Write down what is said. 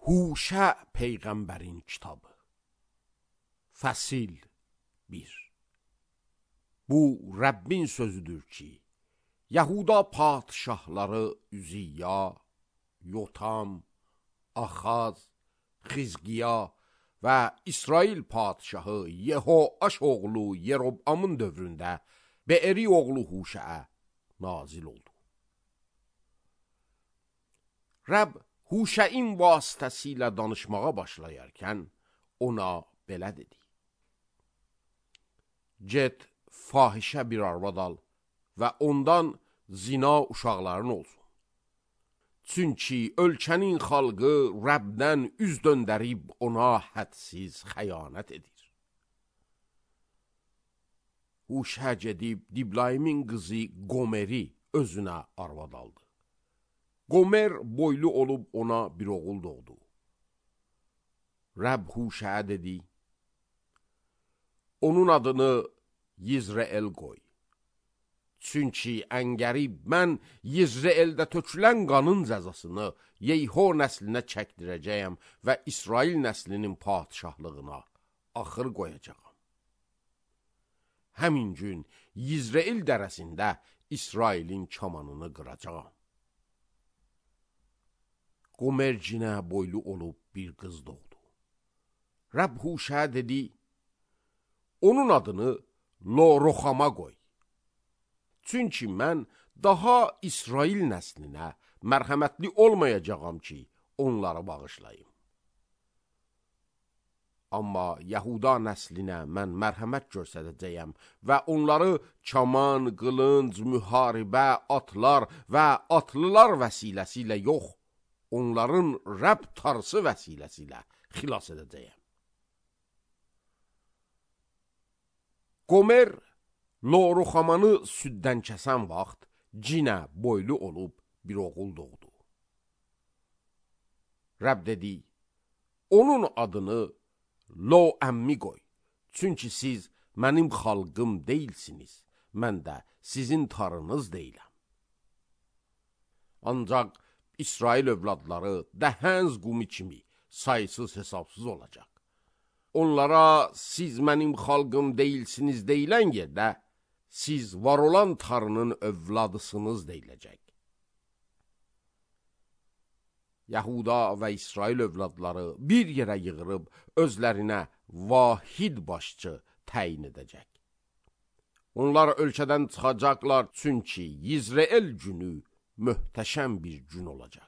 Huşə Peyğəmbərin kitabı. Fəsil 1. Bu Rəbbin sözüdür ki, Yahuda padişahları Üziyya, Yotam, Axaz, Xizqiya və İsrail padişahı Yehoaş oğlu Yerobamın dövründə Beeri oğlu Huşəə nazil oldu. Rəbb Huşəin vasitəsilə danışmağa başlayarkən ona belə dedi. Get, fahişə bir arvad al və ondan zina uşaqların olsun. Çünki ölkənin xalqı Rəbdən üz döndərib ona hədsiz xəyanət edir. Huşə gedib Diblaymin qızı Gomeri özünə arvad aldı. Gomer boylu olub ona bir oğul doğdu. Rəbb Huşəyə dedi, onun adını Yizreel qoy. Çünki əngərib mən Yizreeldə tökülən qanın cəzasını Yeyho nəslinə çəkdirəcəyəm və İsrail nəslinin padişahlığına axır qoyacağam. Həmin gün Yizreel dərəsində İsrailin kamanını qıracağam. Qomercinə boylu olub bir qız doğdu. Rəbb Huşəyə dedi, onun adını Lo-Roxama qoy. Çünki mən daha İsrail nəslinə mərhəmətli olmayacağam ki, onları bağışlayım. Amma Yahuda nəslinə mən mərhəmət göstərəcəyəm və onları kaman, qılınc, müharibə, atlar və atlılar vəsiləsi yox, onların Rəbb tarsı vəsiləsi xilas edəcəyəm. Qomer, Lo-Roxamanı süddən kəsən vaxt cinə boylu olub bir oğul doğdu. Rəbb dedi, onun adını Lo-Əmmi qoy. Çünki siz mənim xalqım deyilsiniz, mən də sizin tarınız deyiləm. Ancaq İsrail övladları dəhəz qumi kimi sayısız hesabsız olacaq. Onlara siz mənim xalqım deyilsiniz deyilən yerdə, siz var olan tarının övladısınız deyiləcək. Yahuda və İsrail övladları bir yerə yığırıb özlərinə vahid başçı təyin edəcək. Onlar ölkədən çıxacaqlar, çünki Yizreel günü möhtəşəm bir gün olacaq.